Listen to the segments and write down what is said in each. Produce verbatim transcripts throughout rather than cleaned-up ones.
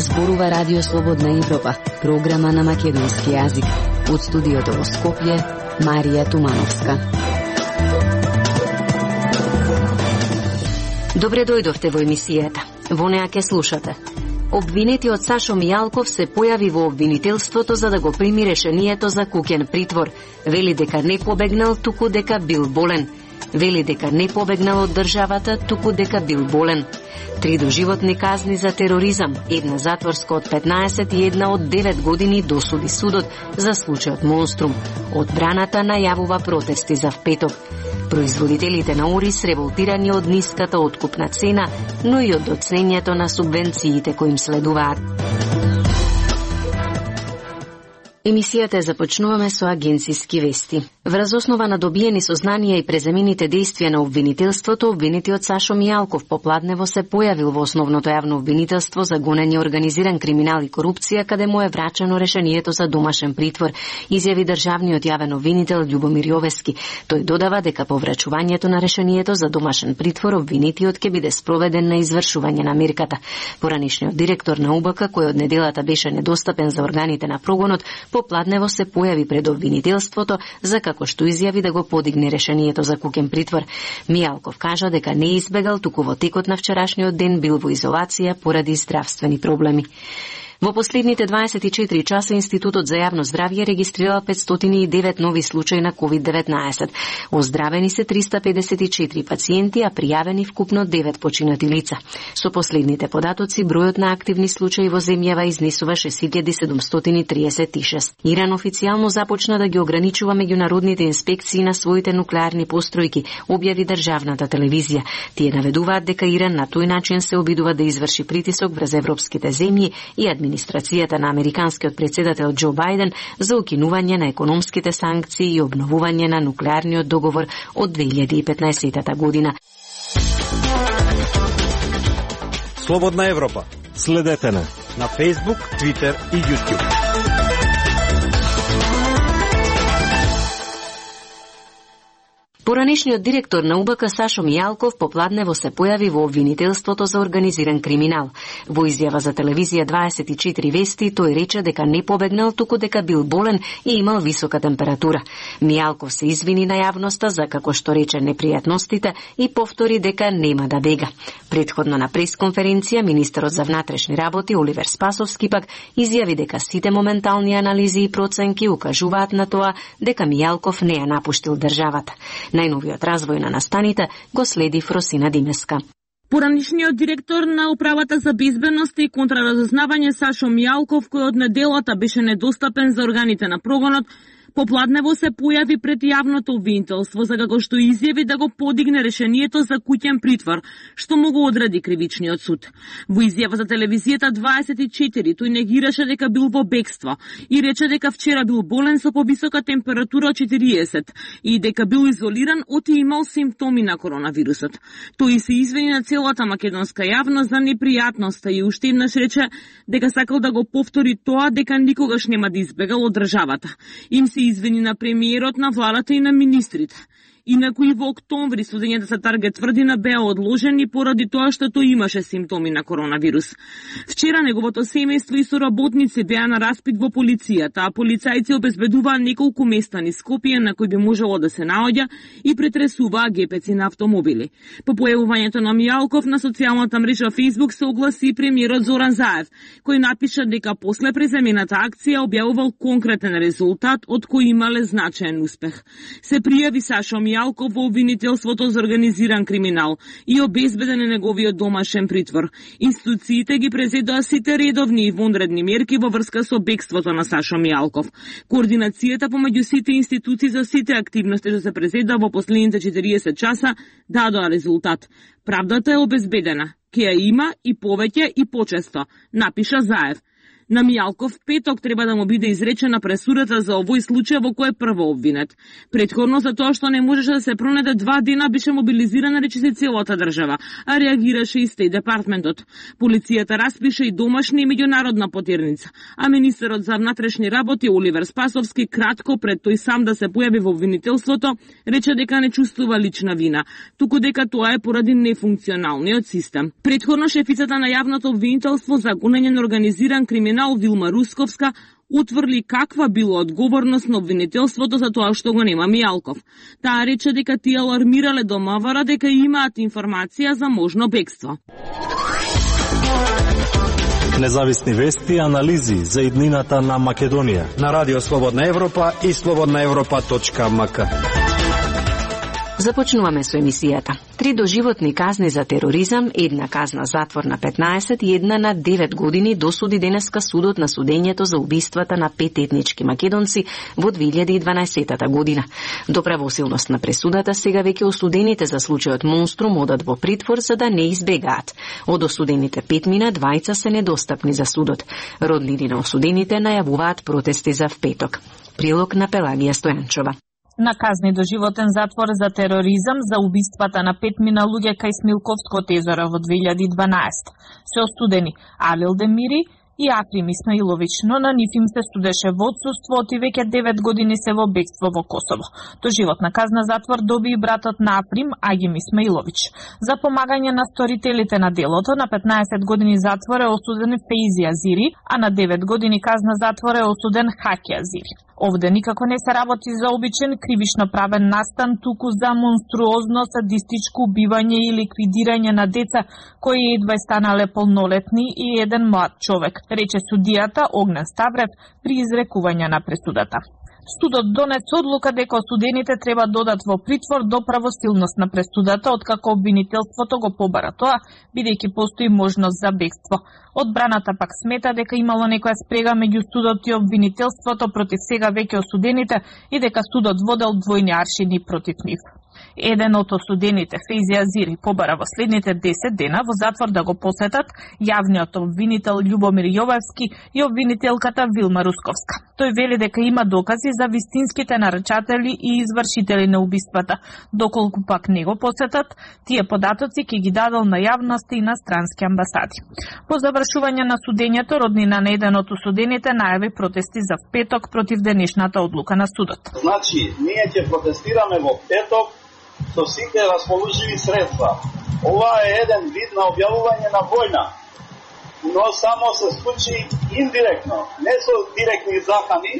Зборува Радио Слободна Европа, програма на македонски јазик. Од студиото во Скопје, Марија Тумановска. Добре дојдовте во емисијата. Во неа ке слушате. Обвинетиот Сашо Мијалков се појави во обвинителството за да го прими решението за куќен притвор. Вели дека не побегнал, туку дека бил болен. Вели дека не побегнал од државата, туку дека бил болен. Три доживотни казни за тероризам, една затворска од петнаесет и една од девет години досуди судот за случајот Монструм. Одбраната најавува протести за впеток. Производителите на ориз револтирани од ниската откупна цена, но и од доцнењето на субвенциите кои им следуваат. Емисијата ја започнуваме со агенциски вести. Врз основа на добиени сознанија и преземените действија на обвинителството, обвинетиот Сашо Мијалков попладнево се појавил во основното јавно обвинителство за гонење организиран криминал и корупција, каде му е врачено решението за домашен притвор, изјави државниот јавен обвинител Љубомир Јовески. Тој додава дека по врачувањето на решението за домашен притвор, обвинетиот ќе биде спроведен на извршување на мерката. Поранишниот директор на У Б К, кој од неделата беше недостапен за органите на прогонот, попладнево се појави пред обвинителството за како што изјави да го подигне решението за куќен притвор. Мијалков кажа дека не избегал, туку во текот на вчерашниот ден бил во изолација поради здравствени проблеми. Во последните дваесет и четири часа Институтот за јавно здравје регистрирал петстотини и девет нови случаи на ковид деветнаесет. Оздравени се триста педесет и четири пациенти, а пријавени вкупно девет починати лица. Со последните податоци, бројот на активни случаи во земјава изнесува шест илјади седумстотини триесет и шест. Иран официјално започна да ги ограничува меѓународните инспекции на своите нуклеарни постројки, објави државната телевизија. Тие наведуваат дека Иран на тој начин се обидува да изврши притисок врз европските земји и администрацијата администрацијата на американскиот председател Џо Бајден за укинување на економските санкции и обновување на нуклеарниот договор од две илјади и петнаесета година. Слободна Европа. Следете на на Facebook, Twitter и YouTube. Поранишниот директор на У Б К Сашо Мијалков попладнево се појави во обвинителството за организиран криминал. Во изјава за телевизија дваесет и четири вести тој рече дека не побегнал, туку дека бил болен и имал висока температура. Мијалков се извини на јавноста за како што рече непријатностите и повтори дека нема да бега. Претходно на пресконференција министерот за внатрешни работи Оливер Спасовски пак изјави дека сите моментални анализи и проценки укажуваат на тоа дека Мијалков не ја напуштил државата. Најновиот развој на настаните го следи Фросина Димеска. Поранишниот директор на Управата за безбедност и контраразузнавање Сашо Мијалков, кој од неделата беше недостапен за органите на прогонот, попладнево се појави пред јавното обвинителство за како што изјави да го подигне решението за куќен притвор, што му го одреди кривичниот суд. Во изјава за телевизијата дваесет и четири тој негираше дека бил во бегство и рече дека вчера бил болен со повисока температура од четириесет и дека бил изолиран од и имал симптоми на коронавирусот. Тој се извини на целата македонска јавност за непријатноста и уште еднаш рече дека сакал да го повтори тоа дека никогаш нема да избегал од државата. Им се извини на премиерот, на владата и на министрите. Инаку и во октомври судењето за Таргет тврдина беа одложени поради тоа што тој имаше симптоми на коронавирус. Вчера неговото семејство и соработници беа на распит во полицијата, а полицајци обезбедуваа неколку места низ Скопје на кои би можело да се наоѓа и претресуваа гепеци на автомобили. По појавувањето на Мијалков на социјалната мрежа Facebook се огласи и премиерот Зоран Заев, кој напиша дека после преземената акција објавувал конкретен резултат од кој имале значаен успех. Се пријави Сашо Мијалков во обвинителството за организиран криминал и обезбеден е неговиот домашен притвор. Институциите ги презедоа сите редовни и вонредни мерки во врска со бегството на Сашо Мијалков. Координацијата помеѓу сите институции за сите активности што се презеда во последните четириесет часа дадоа резултат. Правдата е обезбедена. Ке ја има и повеќе и почесто, напиша Заев. На Мијалков петок треба да му биде изречена пресудата за овој случај во кој е прво обвинет. Предходно за тоа што не можеше да се пронајде два дена беше мобилизирана речиси целата држава, а реагираше и Стејт департментот. Полицијата распише и домашна и меѓународна потерница, а министерот за внатрешни работи Оливер Спасовски кратко пред тој сам да се појави во обвинителството рече дека не чувствува лична вина, туку дека тоа е поради нефункционалниот систем. Предходно шефицата на јавното обвинителство за гонење на организиран криминал Вилма Русковска утврди каква било одговорност на обвинителството за тоа што го нема Мијалков. Таа рече дека тие алармирале до МВР дека имаат информација за можно бегство. Независни вести и анализи за иднината на Македонија на Радио Слободна Европа и слободна европа точка ем ка. Започнуваме со емисијата. Три доживотни казни за тероризам, една казна затвор на петнаесет и една на девет години досуди денеска судот на судењето за убиствата на пет етнички македонци во две илјади и дванаесетта година. До правосилност на пресудата сега веќе осудените за случајот Монструм одат во притвор за да не избегаат. Од осудените петмина, двајца се недостапни за судот. Роднини на осудените најавуваат протести за впеток. Прилог на Пелагија Стојанчова. На казни до животен затвор за тероризам за убиствата на петмина луѓе кај Смилковското езеро во две илјади и дванаесетта се осудени Алил Демири и Акрим Исмаилович, но на нив им се судеше во отсуство и веќе девет години се во бегство во Косово. Доживотна казна затвор доби и братот на Акрим, Агим Исмаилович. За помагање на сторителите на делото на петнаесет години затвор е осуден Фейзи Азири, а на девет години казна затвор е осуден Хаки Азири. Овде никако не се работи за обичен кривично правен настан, туку за монструозно садистичко убивање и ликвидирање на деца кои едва станале полнолетни и еден млад човек, рече судијата Огнен Ставрев при изрекување на пресудата. Судот донесе одлука дека осудените треба додат во притвор до правосилност на пресудата, откако обвинителството го побара тоа, бидејќи постои можност за бегство. Одбраната пак смета дека имало некоја спрега меѓу судот и обвинителството против сега веќе осудените и дека судот водел двојни аршини против нив. Еден од осудените, Фейзи Азири, побара во следните десет дена во затвор да го посетат јавниот обвинител Љубомир Јовевски и обвинителката Вилма Русковска. Тој вели дека има докази за вистинските нарачатели и извршители на убиствата. Доколку пак не го посетат, тие податоци ќе ги дадел на јавност и на странски амбасади. По завршување на судењето, роднина на еден од осудените најави протести за петок против денешната одлука на судот. Значи, ние ќе протестираме во петок со сите расположиви средства. Ова е еден вид на објавување на војна, но само се случи индиректно, не со директни закани,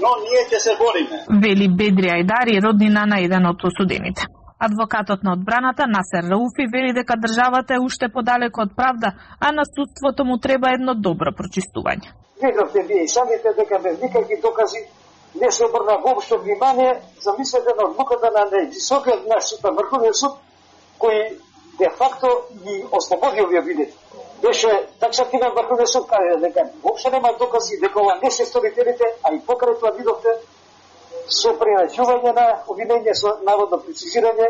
но ние ќе се бориме. Вели Бедри Ајдари, роднина на еден од осудените. Адвокатот на одбраната Насер Рауфи вели дека државата е уште подалеку од правда, а на судството му треба едно добро прочистување. Видовте вие и самите дека без никакви докази не се обрна воопшто внимание, замислете на одлуката на највисокиот наш суд, на Врховниот суд, кој де факто ги ослободи овие обвинети. Беше таксативен Врховниот суд, каде дека воопшто нема докази дека ова не се сторителите, а и покрај тоа видовте со пренајдување на обвинение со наводно прецизирање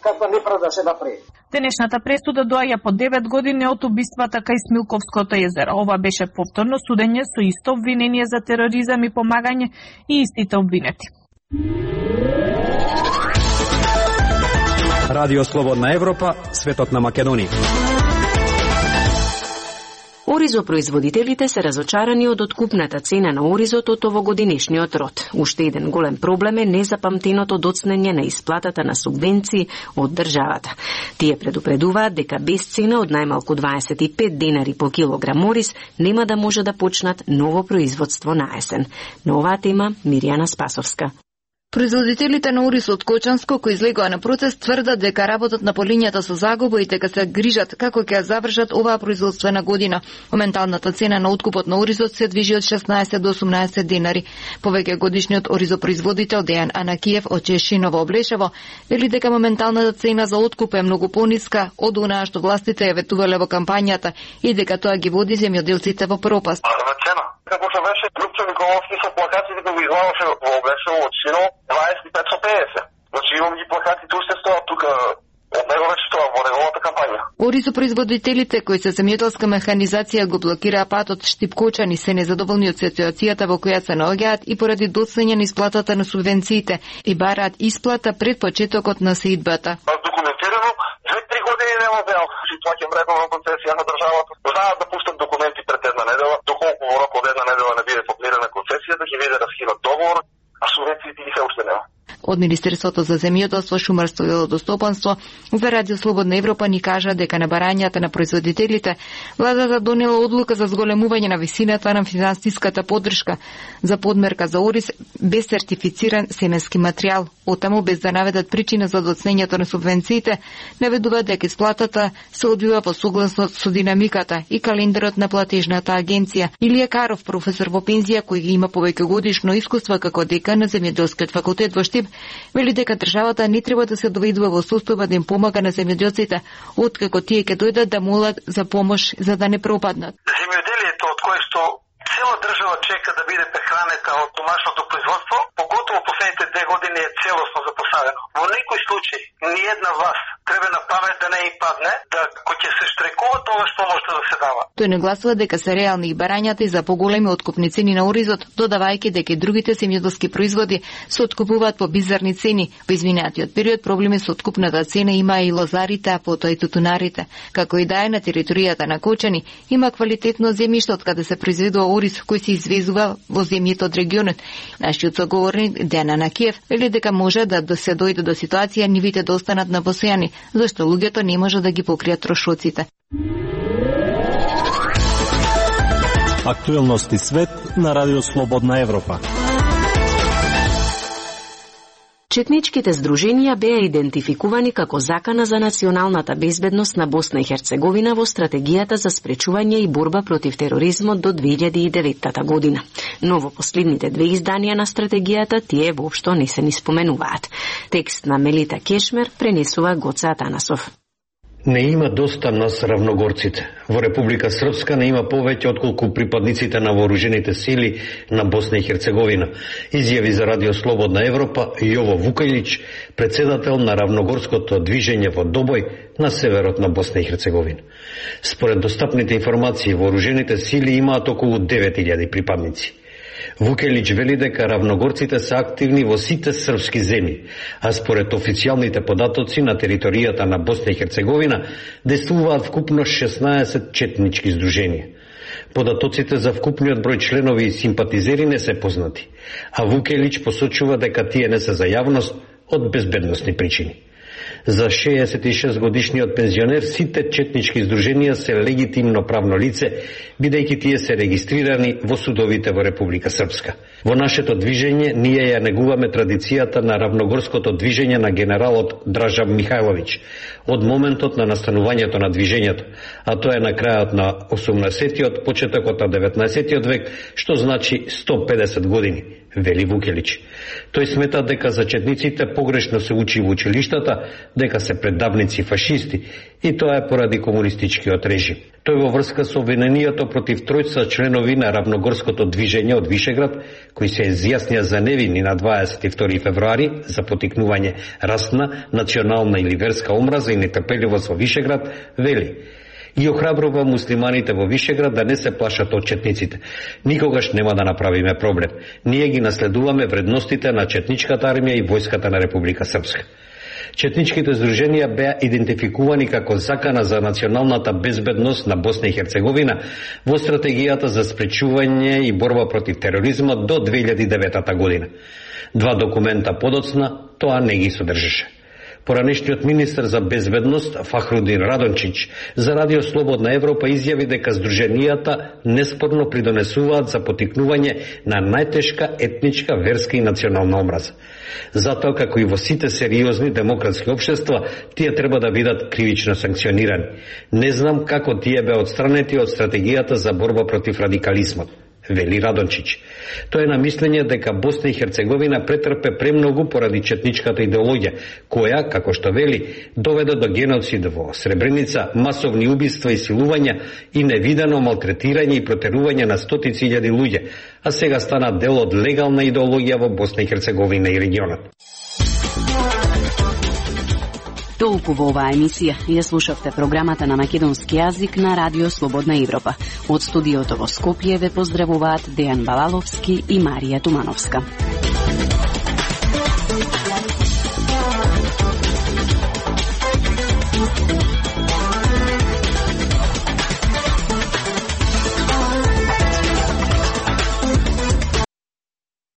каква неправда се направи. Денешната пресуда доаѓа по девет години од убиствата кај Смилковското езеро. Ова беше повторно судење со исто обвинение за тероризам и помагање и истите обвинети. Радио Слободна Европа, светот на Македонија. Оризопроизводителите се разочарани од откупната цена на оризот од овогодинешниот род. Уште еден голем проблем е незапамтеното доцнење на исплатата на субвенции од државата. Тие предупредуваат дека без цена од најмалку дваесет и пет денари по килограм ориз нема да може да почнат ново производство на есен. На оваа тема Миријана Спасовска. Производителите на ориз од Кочанско кои излегоа на протест тврдат дека работат на полињата со загуба и дека се грижат како ќе ја завршат оваа производствена година. Моменталната цена на откупот на оризот се движи од шеснаесет до осумнаесет денари. Повеќе годишниот оризопроизводител Дејан Анакиев од Чешиново Облешево вели дека моменталната цена за откуп е многу пониска од онаа што властите ја ветувале во кампањата и дека тоа ги води земјоделците во пропаст. Како што беше Лупчо Николовски со плакатите кои го излагаше во Облешево од Шино, дваесет и пет со педесет. Значи имам ги плакатите уште стоат тука од него вече тоа во неговата кампања. Оризопроизводителите кои се земјоделска механизација го блокираа патот Штипкочани се незадоволни од ситуацијата во која се наоѓаат и поради доцнење на исплатата на субвенциите и бараат исплата пред почетокот на сеидбата. Документирано две-три години нема беа ситуација мредна концесија на државата. Знаат да пуштат документи пред една недела, доколку во рок од една недела не биде подмирена концесија, да ги биде раскинат договор, а субвенциите ги се уште нема. Од Министерството за земјоделство, шумарство и водостопанство за Радио Слободна Европа ни кажа дека на барањата на производителите владата донела одлука за зголемување на висината на финансиската поддршка за подмерка за ориз без сертифициран семенски материјал. Отаму, без да наведат причина за доцнењето на субвенциите, наведуваат дека исплатата се одвива по согласно со динамиката и календарот на платежната агенција. Илија Каров, професор во пензија кој има повеќе годишно искуство како декан на земјоделскиот факултет во Штип, вели дека државата не треба да се доведува во состојба да им помага на земјоделците, откако тие ќе дојдат да молат за помош за да не пропаднат. Земјоделието од кое што цела држава чека да биде прехранета од домашното производство, поготово последните две години е целосно запоставено. Во некој случај, ни една власт треба на памет да не им падне, да кој ќе се штрекува, тогаш помошта да се дава. Тој нагласува дека се реални и барањата и за поголеми откупни цени на оризот, додавајќи дека и другите земјоделски производи се откупуваат по бизарни цени. Во изминатиот период проблеми со откупната цена има и лозарите, а потоа и тутунарите. Како и да е, на територијата на Кочани има квалитетно земјиште од каде се произведува ориз кој се извезува во земјите од регионот. Нашиот соговорник Дена Накиев вели дека може да се дојде до ситуација нивите да останат на посејани, зашто луѓето не може да ги покријат трошоците. Актуелности свет на Радио Слободна Европа. Четничките здруженија беа идентификувани како закана за националната безбедност на Босна и Херцеговина во стратегијата за спречување и борба против тероризмот до две илјади и девета година. Но во последните две изданија на стратегијата тие воопшто не се ни споменуваат. Текст на Мелита Кешмер пренесува Гоце Атанасов. Не има доста нас равногорците. Во Република Српска не има повеќе отколку припадниците на вооружените сили на Босна и Херцеговина, изјави за Радио Слободна Европа Јово Вукајлич, председател на равногорското движење во Добој на северот на Босна и Херцеговина. Според достапните информации, вооружените сили имаат околу девет илјади припадници. Вукелич вели дека равногорците се активни во сите српски земји, а според официјалните податоци на територијата на Босна и Херцеговина действуваат вкупно шеснаесет четнички здруженија. Податоците за вкупниот број членови и симпатизери не се познати, а Вукелич посочува дека тие не се за јавност од безбедносни причини. За шеесет и шест годишниот пензионер сите четнички здруженија се легитимно правно лице, бидејќи тие се регистрирани во судовите во Република Српска. Во нашето движење ние ја негуваме традицијата на равногорското движење на генералот Дража Михајловиќ од моментот на настанувањето на движењето, а тоа е на крајот на осумнаесеттиот, почетокот на деветнаесеттиот век, што значи сто педесет години, вели Вукелич. Тој смета дека за четниците погрешно се учи во училиштата, дека се предавници фашисти, и тоа е поради комунистичкиот режим. Тој во врска со обвинението против тројца членови на равногорското движење од Вишеград, кои се изјаснија за невини на дваесет и втори февруари за потикнување расна, национална или верска омраза и нетрпеливост во Вишеград, вели: и охрабрува муслиманите во Вишеград да не се плашат од четниците. Никогаш нема да направиме проблем. Ние ги наследуваме вредностите на четничката армија и војската на Република Српска. Четничките здруженија беа идентификувани како закана за националната безбедност на Босна и Херцеговина во стратегијата за спречување и борба против тероризмот до две илјади и девета година. Два документа подоцна тоа не ги содржеше. Поранешниот министер за безбедност Фахрудин Радончич за Радио Слободна Европа изјави дека здруженијата неспорно придонесуваат за потикнување на најтешка етничка, верска и национална омраза. Затоа, како и во сите сериозни демократски општества, тие треба да бидат кривично санкционирани. Не знам како тие беа отстранети од стратегијата за борба против радикализмот, вели Радончич. Тој е на мислење дека Босна и Херцеговина претрпе премногу поради четничката идеологија, која, како што вели, доведе до геноцид во Сребреница, масовни убиства и силувања и невидено малтретирање и протерување на стотици илјади луѓе, а сега стана дел од легална идеологија во Босна и Херцеговина и регионот. Толку во оваа емисија. Ја слушавте програмата на македонски јазик на Радио Слободна Европа. Од студиото во Скопје ве поздравуваат Дејан Балаловски и Марија Тумановска.